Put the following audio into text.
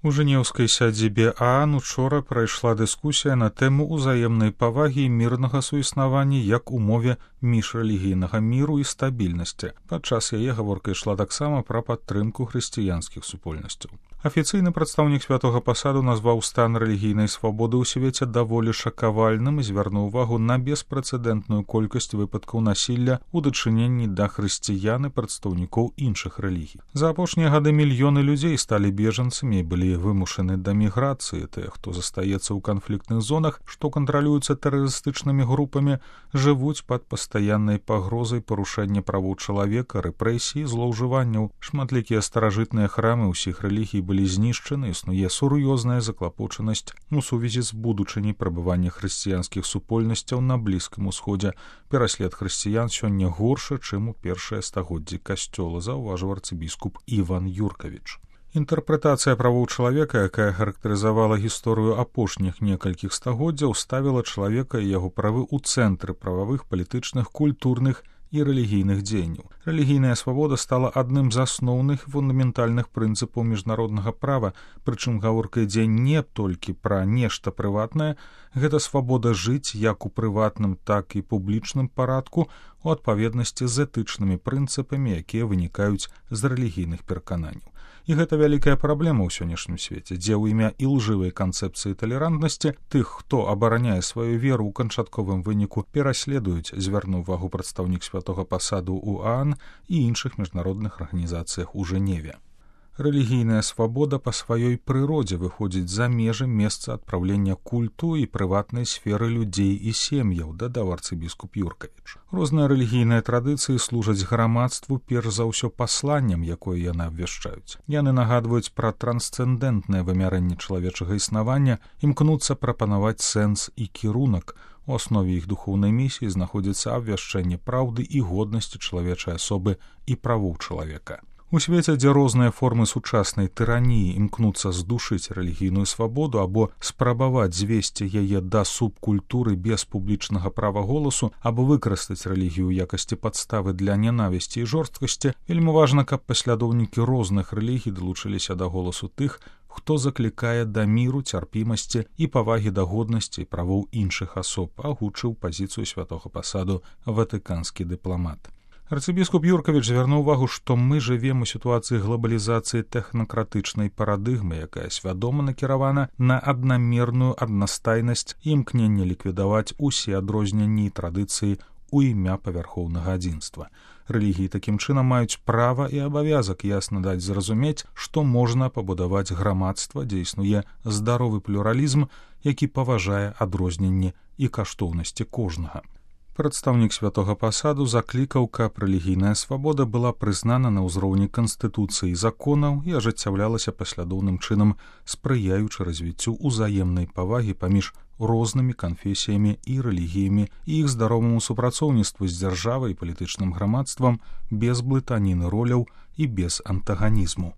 У жэнеўскай сядзібе ААН учора прайшла дыскусія на тэму ўзаемнай павагі і мірнага суіснавання як умове міжрэлігійнага міру і стабільнасці. Падчас яе гаворка ішла таксама пра падтрымку хрысціянскіх супольнасцяў. Афіцыйны прадстаўнік святога пасаду назваў стан рэлігійнай свабоды ў свеце даволі шакавальным і звярнуў увагу на беспрэцэдэнтную колькасць выпадкаў насілля ў дачыненні да хрысціян і прадстаўнікоў іншых рэлігій. За апошнія гады мільёны людзей сталі бежанцамі і былі вымушаны да міграцыі. Тыя, хто застаецца ў канфліктных зонах, што кантралююцца тэрарыстычнымі групамі, жывуць пад пастаяннай пагрозай парушэння правоў чалавека, рэпрэсій, злоўжыванняў. Шматлікія старажытныя храмы ўсіх рэлігій былі знішчаны, існуе сур'ёзная заклапочанасць у сувязі з будучыняй прабывання хрысціянскіх супольнасцяў на Блізкім Усходзе. Пераслед хрысціян сёння горшы, чым у першыя стагоддзі касцёла, заўважыў арцыбіскуп Іван Юркавіч. Інтэрпрэтацыя правоў чалавека, якая характарызавала гісторыю апошніх некалькіх стагоддзяў, ставіла чалавека і яго правы ў цэнтры прававых, палітычных, культурных і рэлігійных дзеянняў. Рэлігійная свабода стала адным з асноўных фундаментальных прынцыпаў міжнароднага права, прычым гаворка ідзе не толькі пра нешта прыватнае, гэта свабода жыць як у прыватным, так і публічным парадку у адпаведнасці з этычнымі прынцыпамі, якія вынікаюць з рэлігійных перакананняў. І гэта вялікая праблема ў сённяшнім свеце, дзе ў імя ілжывай канцэпцыі талерантнасці тых, хто абараняе сваю веру ў канчатковым выніку, пераследуюць, звярнуў увагу прадстаўнік святога пасаду ў ААН і іншых міжнародных арганізацыях у Жэневе. Рэлігійная свабода па сваёй прыродзе выходзіць за межы месца адпраўлення культу і прыватнай сферы людзей і сем'яў, дадаў арцыбіскуп Юркавіч. Розныя рэлігійныя традыцыі служаць грамадству перш за ўсё пасланнем, якое яны абвяшчаюць. Яны нагадваюць пра трансцэндэнтнае вымярэнне чалавечага існавання, імкнуцца прапанаваць сэнс і кірунак. У аснове іх духоўнай місіі знаходзіцца абвяшчэнне праўды і годнасці чалавечай асобы і правоў чалавека. У свеце, дзе розныя формы сучаснай тыраніі імкнуцца здушыць рэлігійную свабоду або спрабаваць звесці яе да субкультуры без публічнага права голасу, або выкарыстаць рэлігію ў якасці падставы для нянавісці і жорсткасці, вельмі важна, каб паслядоўнікі розных рэлігій далучыліся да голасу тых, хто заклікае да міру, цярпімасці і павагі да годнасці і правоў іншых асоб, агучыў пазіцыю святога пасаду ватыканскі дыпламат. Арцыбіскуп Юркавіч звярнуў увагу, што мы жывем у сітуацыі глобалізацыі тэхнакратычнай парадыгмы, якая свядома накіравана на аднамерную аднастайнасць і імкненне ліквідаваць усе адрозненні і традыцыі у імя павярхоўнага адзінства. Рэлігіі такім чынам маюць права і абавязак ясна даць зразумець, што можна пабудаваць грамадства, дзе існуе здаровы плюралізм, які паважае адрозненні і каштоўнасці кожнага. Прадстаўнік святога пасаду заклікаў, каб рэлігійная свабода была прызнана на ўзроўні канстытуцыі і законаў і ажыццяўлялася паслядоўным чынам, спрыяючы развіццю ўзаемнай павагі паміж рознымі канфесіямі і рэлігіямі і іх здароваму супрацоўніцтву з дзяржавай і палітычным грамадствам без блытаніны роляў і без антаганізму.